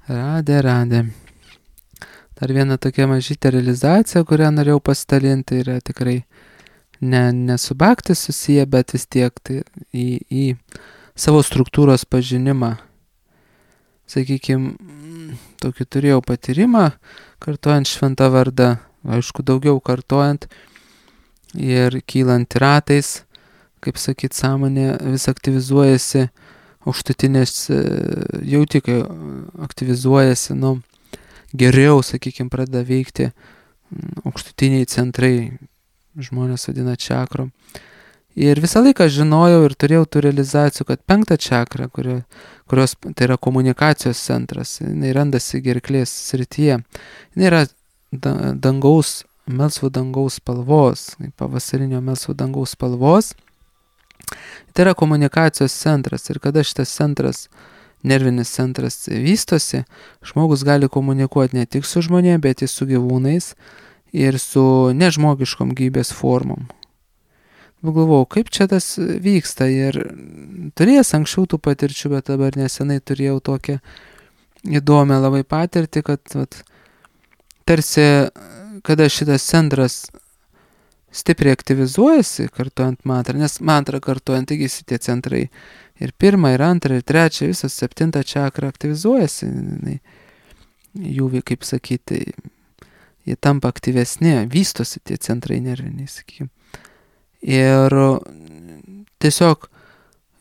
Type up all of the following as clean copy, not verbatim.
Radė. Dar viena tokia mažytė realizacija, kurią norėjau pasidalinti, yra tikrai ne su bhakti susiję, bet vis tiek tai į savo struktūros pažinimą. Sakykime, tokį turėjau patyrimą, kartojant šventą vardą, aišku, daugiau kartojant ir kylant ratais, kaip sakyt, sąmonė vis aktyvizuojasi, aukštutinės jauti, kai aktyvizuojasi, geriau, sakykime, pradeda veikti aukštutiniai centrai, žmonės vadina čakrom. Ir visą laiką žinojau ir turėjau tų realizacijų, kad 5 čakra, kurios tai yra komunikacijos centras, jinai randasi gerklės srityje, jinai yra melsvo dangaus spalvos, pavasarinio melsvo dangaus spalvos. Tai yra komunikacijos centras ir kada šitas centras, nervinis centras vystosi, žmogus gali komunikuoti ne tik su žmonėmis, bet ir su gyvūnais ir su nežmogiškom gyvybės formom. Galvojau, kaip čia tas vyksta ir turėjęs anksčiau tų patirčių, bet dabar nesenai turėjau tokią įdomią labai patirtį, kad tarsi, kada šitas centras stipriai aktyvizuojasi, kartuojant mantrą, nes mantrą kartuojant, taigi tie centrai ir 1, ir 2, ir 3, visas 7 čakra aktyvizuojasi, jų, kaip sakyti, jie tampa aktyvesni, vystosi tie centrai nerviniai, sakykime. Ir tiesiog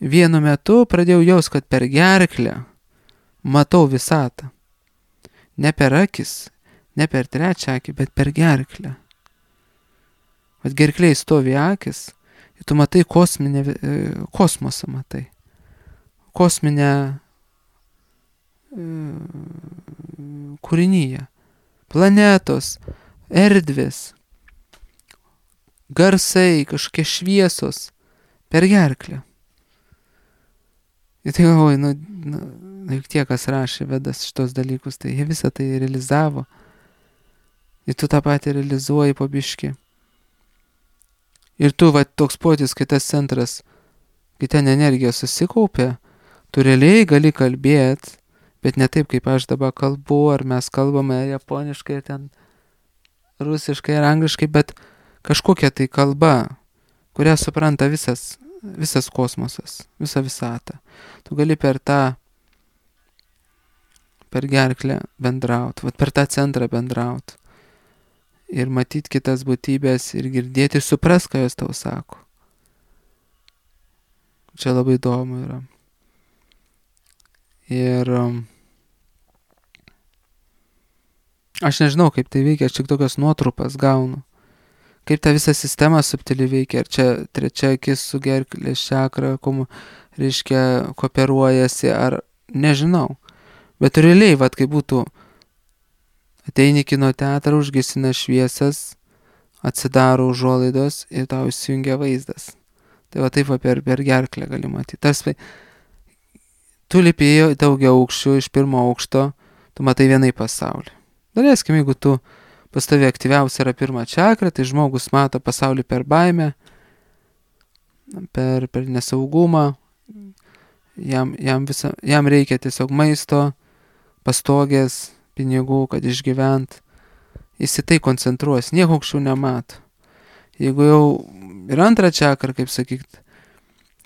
vienu metu pradėjau jaust, kad per gerklę matau visatą. Ne per akis, ne per 3 akį, bet per gerklę. Vat gerklėj stovi akis ir tu matai kosmosą matai. Kosminę kūrinyje. Planetos, erdvės, garsai, kažkokie šviesos per gerklę. Ir tai galvoju, juk tie, kas rašė Vedas šitos dalykus, tai jie visą tai realizavo. Ir tu tą patį realizuoji po biškį. Ir tu, toks potis, kai tas centras, kai ten energija susikaupė, tu realiai gali kalbėti, bet ne taip, kaip aš dabar kalbu, ar mes kalbame japoniškai, ten rusiškai ar angliškai, bet kažkokia tai kalba, kurią supranta visas kosmosas, visa visata. Tu gali per gerklę bendraut, per tą centrą bendraut. Ir matyti kitas būtybės ir girdėti ir supras, ką jos tau sako. Čia labai įdomu yra. Ir aš nežinau, kaip tai veikia, aš tik tokias nuotrupas gaunu. Kaip ta visa sistema subtiliai veikia, ar čia 3 akis su gerklės čakra, reiškia, kooperuojasi, ar nežinau. Bet realiai, kai būtų ateini kino teatrą, užgesina šviesas, atsidaro užuolaidos ir tau įsijungia vaizdas. Tai taip per gerklę gali matyti. Tarsi, tu lipėjai daugia aukščių iš 1 aukšto, tu matai vienai pasaulį. Daleiskim, jeigu tu pas tavį aktyviausia yra 1 čakra, tai žmogus mato pasaulį per baimę, per nesaugumą, jam reikia tiesiog maisto, pastogės, pinigų, kad išgyvent. Jis į tai koncentruos, nieko aukščiau nemato. Jeigu jau ir 2 čakra, kaip sakyt,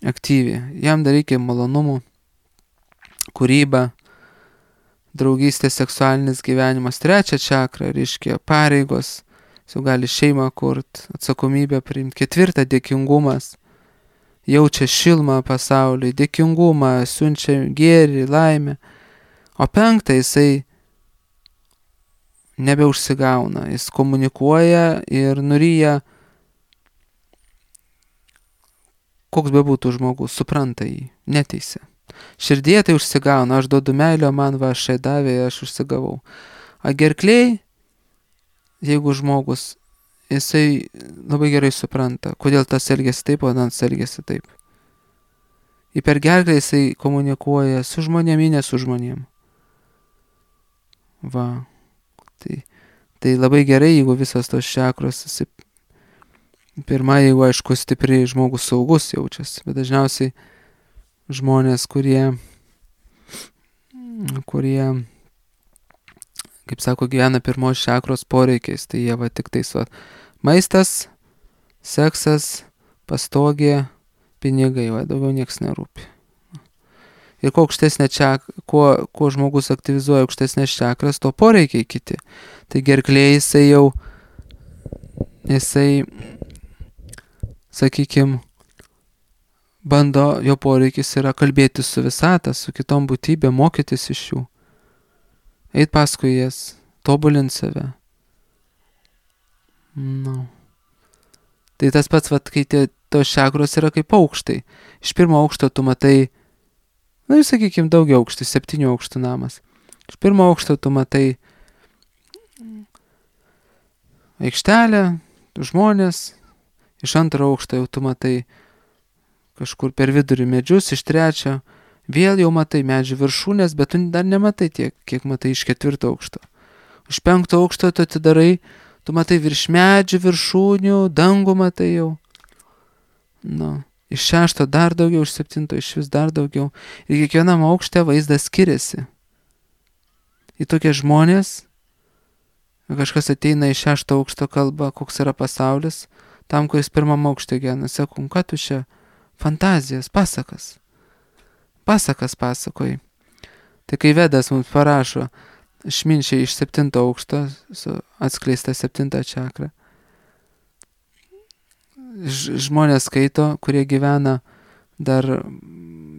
aktyvi, jam dar reikia malonumų, kūryba, draugystės, seksualinis gyvenimas. 3 čakra, reiškia, pareigos, jis jau gali šeimą kurt, atsakomybę priimti. 4 dėkingumas, jaučia šilmą pasauliui, dėkingumą, siunčia gėrį, laimę. O 5 jisai nebeužsigauna, jis komunikuoja ir nuryja, koks bebūtų žmogus, supranta jį, neteisia. Širdie tai užsigauna, aš duodu meilę, man aš davė, aš užsigavau. A gerklėj, jeigu žmogus, jisai labai gerai supranta, kodėl tas elgėsi taip, o tas elgėsi taip. Ir per gerklę jisai komunikuoja su žmonėmis, ne su žmonėm. Tai labai gerai, jeigu visas tos čakros, pirma, jeigu aišku stipriai žmogus saugus jaučiasi, bet dažniausiai žmonės, kurie kaip sako, gyvena pirmos čakros poreikiais, tai jie va tik tais va maistas, seksas, pastogė, pinigai, va daugiau nieks nerūpi. Ir kuo aukštesnė kuo žmogus aktyvizuoja aukštesnės čakras, to poreikiai kiti. Tai gerklė jisai, sakykime, bando, jo poreikis yra kalbėti su visata, su kitom būtybėm, mokytis iš jų. Eit paskui jas, tobulinti save. No. Tai tas pats, kai tos čakros yra kaip aukštai. Iš pirmo aukšto tu matai, sakykime, daugiau aukštų, 7 aukštų namas. Iš pirmo aukšto tu matai aikštelę, žmonės, iš antro aukšto jau tu matai kažkur per vidurį medžius, iš trečio vėl jau matai medžių viršūnės, bet tu dar nematai tiek, kiek matai iš 4 aukšto. Iš 5 aukšto tu atidarai, tu matai virš medžių viršūnių, dangų matai jau. Iš 6 dar daugiau, iš 7 iš vis dar daugiau. Ir kiekvienam aukšte vaizdas skiriasi. Į tokie žmonės, kažkas ateina iš 6 aukšto kalba, koks yra pasaulis, tam, kuris pirmam aukšte gyvena, sakau, ką tu čia fantazijas, pasakas pasakoji. Tai kai Vedas mums parašo išminčiai iš 7 aukšto, atskleista 7 čakra, žmonės skaito, kurie gyvena dar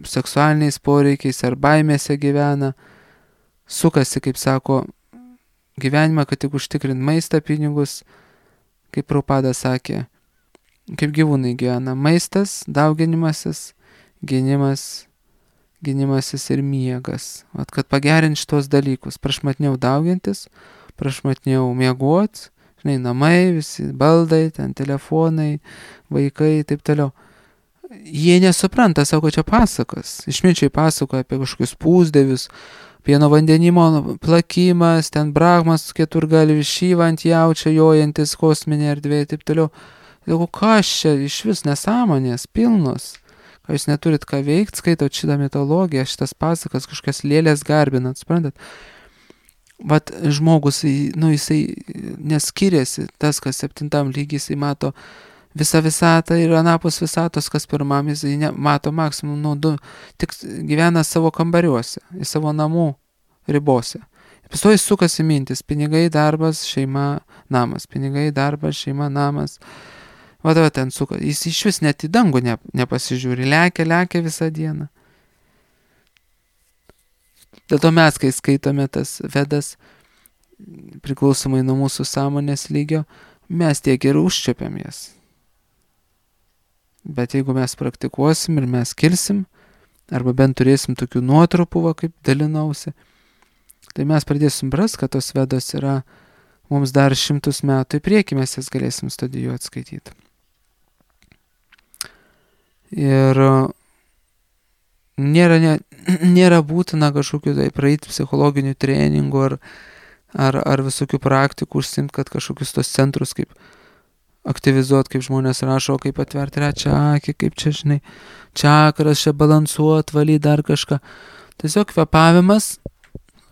seksualiniais poreikiais ar baimėse gyvena, sukasi, kaip sako, gyvenimą, kad tik užtikrint maistą, pinigus, kaip Prabhupada sakė, kaip gyvūnai gyvena. Maistas, dauginimasis, gynimasis ir miegas. Kad pagerint šitos dalykus. Prašmatniau daugintis, prašmatniau miegot, namai, visi baldai, ten telefonai, vaikai, taip toliau. Jie nesupranta, sako, čia pasakas. Išminčiai pasakoja apie kažkokius pūsdevius, pieno vandenimo plakimas, ten Brahmas keturgalvis Šyva ant jaučio jojantis kosminė erdvė, taip toliau. Sako, kas čia iš vis nesąmonės, pilnos. Ką jūs neturit ką veikti, skaitot šitą mitologiją, šitas pasakas, kažkas lėlės garbinat, suprantat? Vat žmogus, jisai neskiriasi, tas, kas 7 lygiai, jisai mato visą visatą ir anapus visatos, kas pirmam, jisai mato maksimum 2, tik gyvena savo kambariuose, į savo namų ribose. Paskui sukasi mintis, pinigai, darbas, šeima, namas, pinigai, darbas, šeima, namas. Va ten suka, jis iš vis net į dangų nepasižiūri, lekia visą dieną. Dėl to mes, kai skaitome tas Vedas, priklausomai nuo mūsų sąmonės lygio, mes tiek ir užčiuopiam jas. Bet jeigu mes praktikuosim ir mes kilsim, arba bent turėsim tokių nuotrupų, kaip dalinausi, tai mes pradėsim suprast, kad tos Vedos yra mums dar 100 metų į priekį, mes jas galėsim studijuoti, skaityti. Ir nėra būtina kažkokių tai praeiti psichologinių treningų ar visokių praktikų užsimti, kad kažkokius tos centrus kaip aktyvizuoti, kaip žmonės rašo, kaip atverti trečią akį, kaip čia, čakras, čia balansuot, valyti dar kažką. Tiesiog kvėpavimas,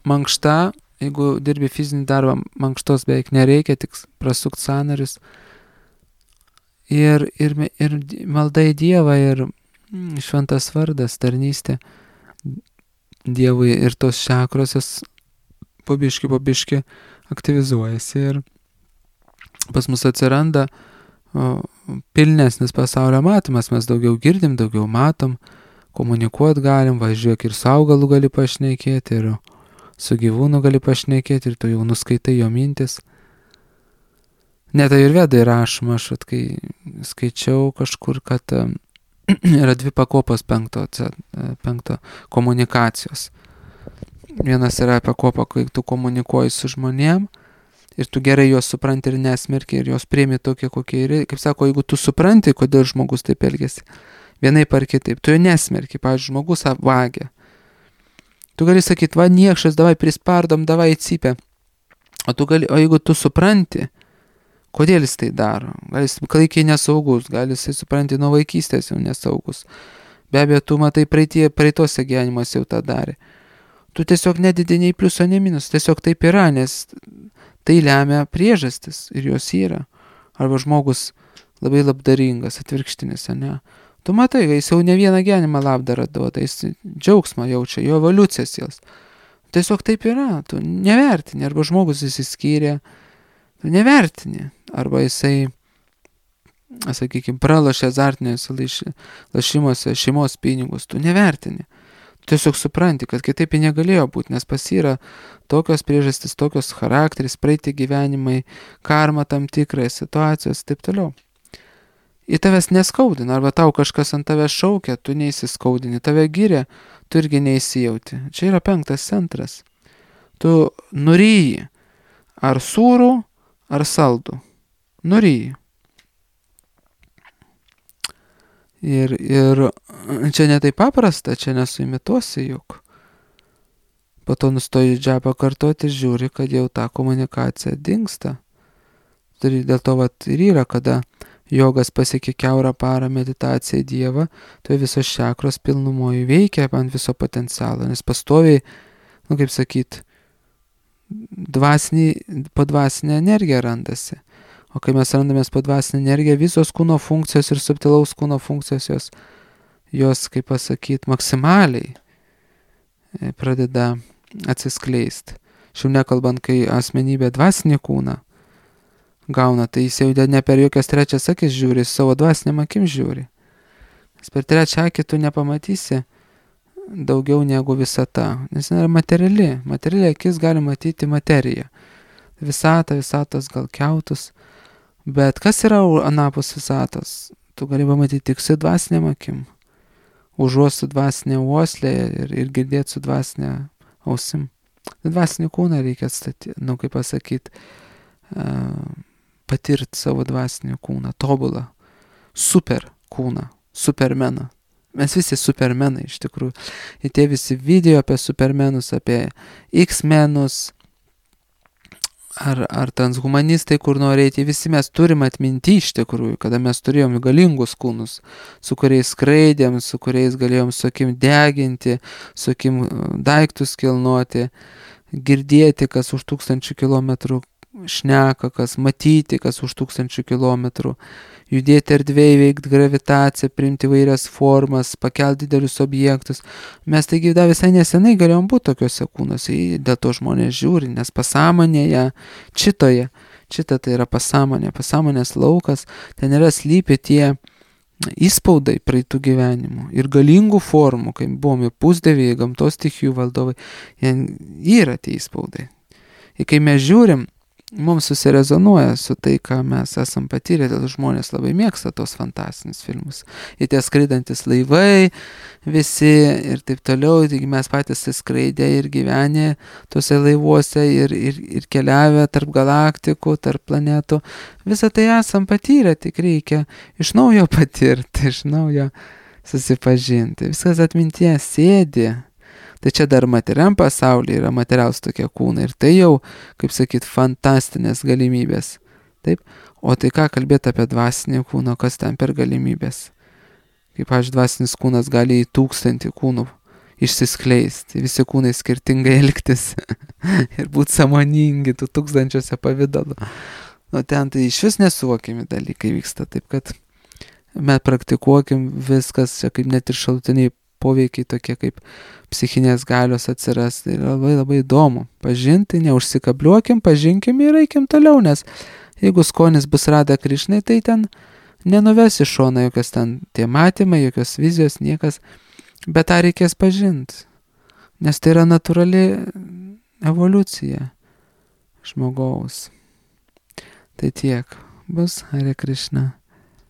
mankšta, jeigu dirbi fizinį darbą, mankštos beveik nereikia, tik prasukti sąnarius. Ir malda į Dievą, ir šventas vardas, tarnystė Dievui, ir tos čakrosios po biškį aktyvizuojasi ir pas mus atsiranda pilnesnis pasaulio matymas, mes daugiau girdim, daugiau matom, komunikuot galim, važiuok ir su augalu gali pašnekėti, ir su gyvūnu gali pašnekėti, ir tu jau nuskaitai jo mintis. Net ir Vedai rašoma, aš kai skaičiau kažkur, kad yra 2 pakopos 5 komunikacijos. Vienas yra pakopa, kai tu komunikuoji su žmonėm ir tu gerai juos supranti ir nesmerki ir juos priimi tokie, kokie yra. Kaip sako, jeigu tu supranti, kodėl žmogus taip elgiasi, vienaip ar kitaip, tu jo nesmerki, pavyzdžiui, žmogus vagia. Tu gali sakyti, va niekšas, davai prispardom, davai įcypę. O jeigu tu supranti, kodėl jis tai daro? Gal jis klaikiai nesaugus, gal jis, supranti, nuo vaikystės jau nesaugus. Be abejo, tu matai praeitose gyvenimuose jau tą darė. Tu tiesiog nedidi nei pliuso, nei minus, tiesiog taip yra, nes tai lemia priežastis ir jos yra. Arba žmogus labai labdaringas, atvirkštinis, ne? Tu matai, jis jau ne vieną gyvenimą labdarą duoda, jis džiaugsmą jaučia, jo evoliucijas jos. Tiesiog taip yra, tu nevertini, arba žmogus įsiskyrė, tu nevertini, arba jisai, sakykime, pralošė azartiniuose lašimuose šeimos pinigus, tu nevertini. Tu tiesiog supranti, kad kitaip negalėjo būti, nes pas yra tokios priežastys, tokios charakteris, praeiti gyvenimai, karma tam tikrai, situacijos, taip toliau. Į tavęs neskaudina, arba tau kažkas ant tavęs šaukia, tu neįsiskaudini, tave giria, tu irgi neįsijauti. Čia yra 5 centras. Tu nuryji, ar sūrų, ar saldų. Nuryji. Ir čia ne taip paprasta, čia nesuimituosi juk. Po to nustoji džabą kartoti ir žiūri, kad jau ta komunikacija dingsta. Dėl to ir yra, kada jogas pasiekia kiaurą parą meditaciją į Dievą, tai visos čakros pilnumoje veikia ant viso potencialo, nes pastoviai, kaip sakyt, po dvasinė energija randasi. O kai mes randamės po dvasinę energiją, visos kūno funkcijos ir subtilaus kūno funkcijos jos, kaip pasakyt, maksimaliai pradeda atsiskleisti. Šiau nekalbant, kai asmenybė dvasinį kūną gauna, tai jis jau ne per jokias trečias akis žiūri, savo dvasiniam akim žiūri. Nes per trečią akį tu nepamatysi daugiau negu visata, nes yra materiali. Materiali akis gali matyti materiją. Visatos gal kiautus. Bet kas yra anapus visatos? Tu gali pamatyti tik su dvasiniam akim. Užuosti su dvasinė uoslė ir girdėti su dvasinė ausim. Dvasinį kūną reikia atstatyti, kaip pasakyti, patirti savo dvasinį kūną, tobulą, super kūną, supermeną. Mes visi supermenai iš tikrųjų. Ir tie visi video apie supermenus, apie X-menus, ar transhumanistai, kur norėti, visi mes turim atminti iš tikrųjų, kada mes turėjom galingus kūnus, su kuriais skraidėm, su kuriais galėjom su akim deginti, su akim daiktus kilnoti, girdėti, kas už 1000 kilometrų šneka, kas matyti, kas už 1000 kilometrų, judėti erdvėje, veikti gravitaciją, priimti vairias formas, pakelti didelius objektus. Mes taigi dar visai nesenai galėjom būti tokiuose kūnuose, dėl to žmonės žiūri, nes pasąmonėje, čita tai yra pasąmonė, pasąmonės laukas, ten yra slypi tie įspaudai praeitų gyvenimų ir galingų formų, kai buvom ir pusdieviai, gamtos stichijų valdovai, yra tie įspaudai. Ir kai mes žiūrim, mums susirezonuoja su tai, ką mes esam patyrę, dėl žmonės labai mėgsta tos fantastinius filmus. Ir tie skraidantis laivai visi ir taip toliau, taigi mes patys skraidę ir gyvenę tose laivuose ir keliavę tarp galaktikų, tarp planetų. Visą tai esam patyrę, tik reikia iš naujo patirti, iš naujo susipažinti. Viskas atmintyje sėdi. Tai čia dar materiam pasaulyje yra materialūs tokie kūnai ir tai jau, kaip sakyt, fantastinės galimybės. Taip? O tai ką kalbėti apie dvasinį kūną, kas ten per galimybės? Kaip dvasinis kūnas gali į 1000 kūnų išsiskleisti, visi kūnai skirtingai elgtis ir būti sąmoningi tų 1000 pavydalų. Nu ten tai iš vis nesuvokiami dalykai vyksta, taip kad mes praktikuokim viskas, čia kaip net ir šalutiniai poveikiai tokie kaip psichinės galios atsiras. Tai labai labai įdomu pažinti, neužsikabliuokim, pažinkim ir eikim toliau, nes jeigu skonis bus Rada Krišnai, tai ten nenuves į šoną jokios ten tie matymai, jokios vizijos, niekas, bet tą reikės pažinti, nes tai yra natūrali evoliucija žmogaus. Tai tiek bus. Hare Krishna.